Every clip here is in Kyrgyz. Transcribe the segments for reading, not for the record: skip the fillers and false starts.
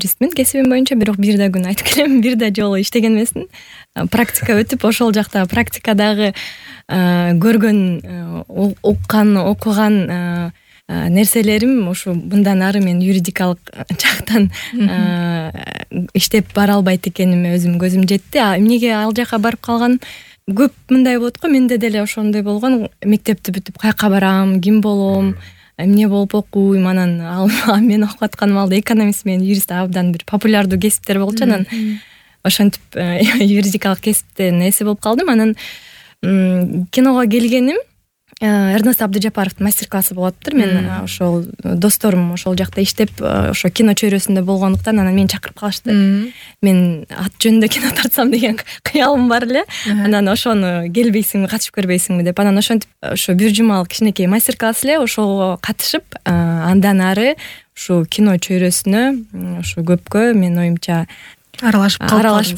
юристмин кесибим боюнча, бирок бир да күн айтып келем, бир да жолу иштеген эмесмин. Практика өтүп, ошол жакта практикадагы көргөн, уккан, окуган нерселерим ушу мындан ары мен юридикалык жактан иштеп бара албайт экениме өзүм көзүм жетти. Эмнеге ал жака барып калган? Көп мындай болот го, менде деле ошондой болгон. Мектепти бүтүп каяка барам, ким болом, эмне болуп окуйм, анан мен окуп аткан маалда экономист менен юрист абдан бир популярдуу кесиптер болчу. Анан ошентип юридикалык кесиптен эси болуп калдым. Анан киного келгеним Эрнест Абдыжапаровдун мастер-классы болуптур. Мен ошол досторум ошол жакта иштеп, ошо кино чөйрөсүндө болгондуктан анан мени чакырып калышты. Мен ат жөнүндө кино тартсам деген кыялым бар эле. Анан ошону келбейсиңби, катышып көрбөйсүңбү деп. Анан ошентип ошо бир жумалык кичинекей мастер-класс эле, ошого катышып, андан ары ушу кино чөйрөсүнө ушу көпкө мен оюмча аралашып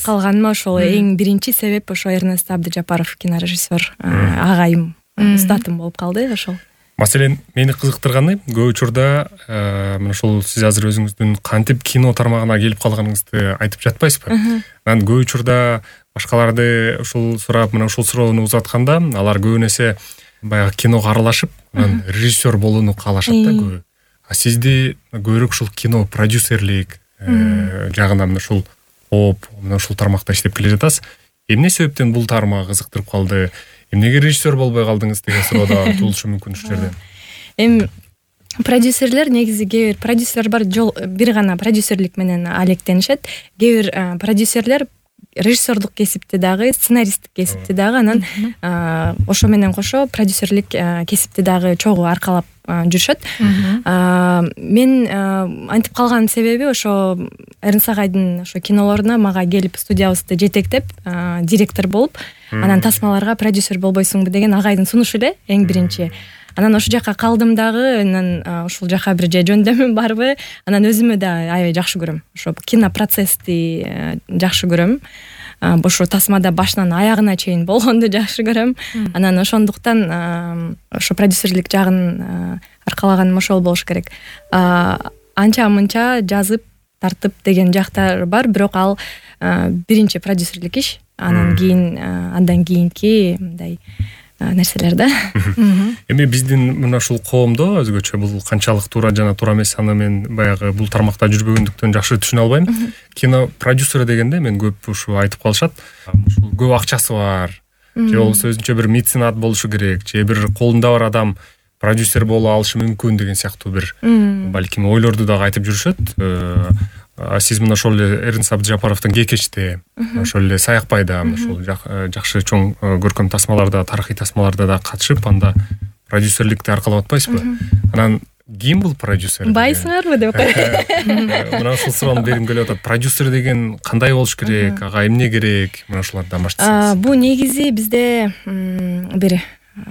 калганыма ошол эң биринчи себеп ошо Эрнест Абдыжапаров кинорежиссер агайым, устатым болуп калды ошол. Маселен, мени кызыктырганы көп учурда мына ошол сиз азыр өзүңүздүн кантип кино тармагына келип калганыңызды айтып жатпайсызбы? Анан көп учурда башкаларды ушул сурап, мына ушул суроону узатканда, алар көбүн эсе баягы киного аралашып, анан режиссер болууну каалашат да көбү. А сизди көбүрөөк ушул кино продюсерлик жагына мына ушул мына ушул тармакта иштеп келе жатасыз. Эмне себептен бул тармак кызыктырып калды? Эмнеге режиссер болбой калдыңыз деген суроо да туулушу мүмкүн ушул жерде. Эми продюсерлер негизи кээ бир продюсерлер бар, бир гана продюсерлик менен алектенишет. Кээ бир продюсерлер режиссердук кесипти дагы, сценаристтик кесипти дагы, анан ошо менен кошо продюсерлик кесипти дагы чогуу аркалап жүрүшөт. Мен антип калган себеби ошо Эрнест агайдын ошо кинолоруна мага келип студиябызды жетектеп, директор болуп, анан тасмаларга продюсер болбойсуңбу деген агайдын сунушу эле эң биринчи. Анан ошол жака калдым дагы, анан ушул жака бир жөндөмүм барбы? Анан өзүмө да аябай жакшы көрөм. Ошо кинопроцессти жакшы көрөм. Ошо тасмада башынан аягына чейин болгонду жакшы көрөм. Анан ошондуктан ошо продюсерлик жагын аркалаганым ошол болуш керек. Анча-мынча жазып, тартып деген жактар бар, бирок ал биринчи продюсерлик иш. Андан кийинки мындай нерселер да. Эми биздин мына ушул коомдо өзгөчө бул канчалык туура жана туура эмес аны мен баягы бул тармакта жүрбөгөндүктөн жакшы түшүнө албайм. Кино продюсер дегенде мен көп ушу айтып калышат. Ушул көп акчасы бар, же болбосо өзүнчө бир меценат болушу керек, же бир колунда бар адам продюсер боло алышы мүмкүн деген сыяктуу бир балким ойлорду дагы айтып жүрүшөт. Сиз мына ошол эле Эрнест Абдыжапаровдун Кекечте, ошол эле Саякбайда, ошол жакшы чоң көркөм тасмаларда, тарыхый тасмаларда да катышып, анда продюсерликти аркалап атпайсызбы? Анан ким бул продюсер? Байсыңарбы деп койгон. Мына ушул суроону бергим келип атат. Продюсер деген кандай болуш керек? Ага эмне керек? Мына ушулардан баштасаңыз. Бул негизи бизде бир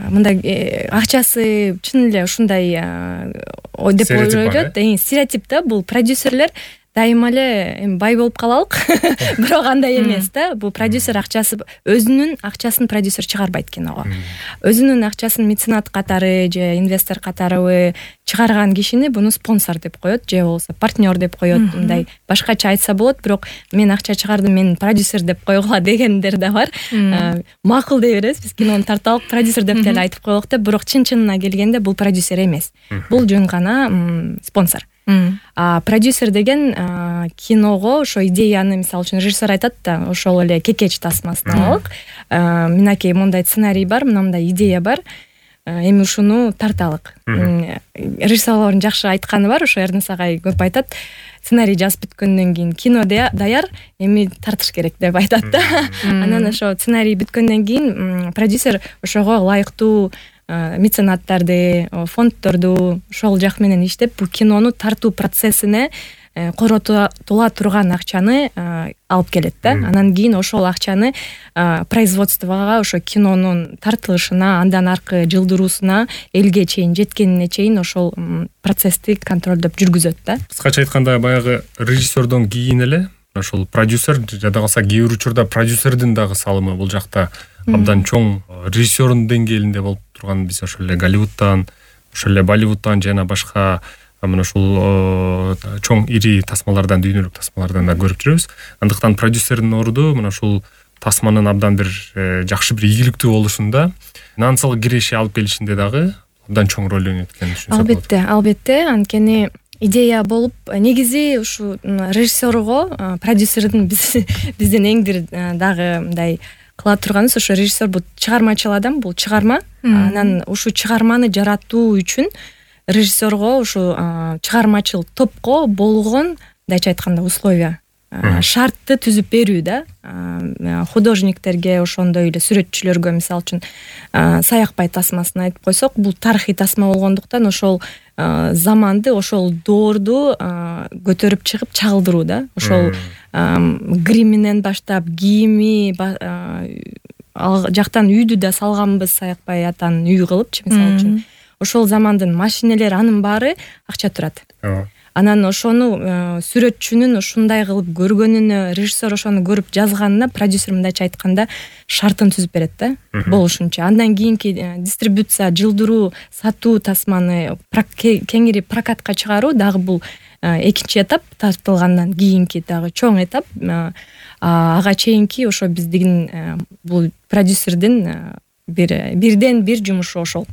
мындай акчасы чын эле ушундай деп ойлойт. Стереотип да, бул продюсерлер дайыма эле эми бай болуп калалык, бирок андай эмес да. Бул продюсер өзүнүн акчасын продюсер чыгарбайт киного. Өзүнүн акчасын меценат катары же инвестор катары чыгарган кишини буну спонсор деп коет, же болбосо партнер деп коет. Мындай башкача айтса болот, бирок мен акча чыгардым, мен продюсер деп койгула дегендер да бар. Макул дей беребиз, биз кинону тарталык, продюсер деп деле айтып коелук деп, бирок чын-чынына келгенде бул продюсер эмес. Бул жөн гана спонсор. Продюсер деген киного ошо идеяны, мисалы үчүн режиссер айтат да, ошол эле Кекеч тасмасын алалык. Минакей мондай сценарий бар, мындай идея бар. Эми ушуну тарталык. Режиссерлордун жакшы айтканы бар, ошо Эрнест агай көп айтат. Сценарий жазып бүткөндөн кийин кино даяр, эми тартыш керек деп айтат да. Анан ошо сценарий бүткөндөн кийин продюсер ошого ылайыктуу меценаттарды, фонддорду ошол жак менен иштеп, бул кинону тартуу процессине коротула турган акчаны алып келет да. Анан кийин ошол акчаны производствого, ошо кинонун тартылышына, андан аркы жылдыруусуна, элге чейин жеткенине чейин ошол процессти контролдоп жүргүзөт да. Кыскача айтканда, баягы режиссердон кийин эле ошол продюсер, жада калса кээ бир учурда продюсердин дагы салымы бул жакта абдан чоң, режиссердун деңгээлинде болуп турган. Биз ошол эле Голливудтан, ошол эле Болливудтан жана башка мына ушул чоң ири тасмалардан, дүйнөлүк тасмалардан да көрүп жүрөбүз. Андыктан продюсердин орду мына ушул тасманын абдан бир жакшы бир ийгиликтүү болушунда, финансылык киреше алып келишинде дагы абдан чоң роль ойнойт экенин түшүнсөк болот. Албетте, анткени идея болуп, негизи ушу режиссерго продюсердин биздин эң бир дагы мындай кыла турганыбыз, ошо режиссер бул чыгармачыл адам, бул чыгарма. Анан ушу чыгарманы жаратуу үчүн режиссерго ушу чыгармачыл топко болгон, мындайча айтканда, условия, шартты түзүп берүү да. Художниктерге, ошондой эле сүрөтчүлөргө, мисалы үчүн Саякбай тасмасын айтып койсок, бул тарыхый тасма болгондуктан ошол заманды, ошол доорду көтөрүп чыгып чагылдыруу да. Ошол гриминен баштап, кийими, ал жактан үйдү да салганбыз, Саякбай атанын үйү кылыпчы, мисалы үчүн. Ошол замандын машинелери, анын баары акча турат. Анан ошону сүрөтчүнүн ушундай кылып көргөнүнө, режиссер ошону көрүп жазганына продюсер мындайча айтканда шартын түзүп берет да, болушунча. Андан кийинки дистрибуция, жылдыруу, сатуу тасманы кеңири прокатка чыгаруу дагы бул экинчи этап, тартылгандан кийинки дагы чоң этап. Ага чейинки ошо биздин бул продюсердин бирден бир жумушу ошол.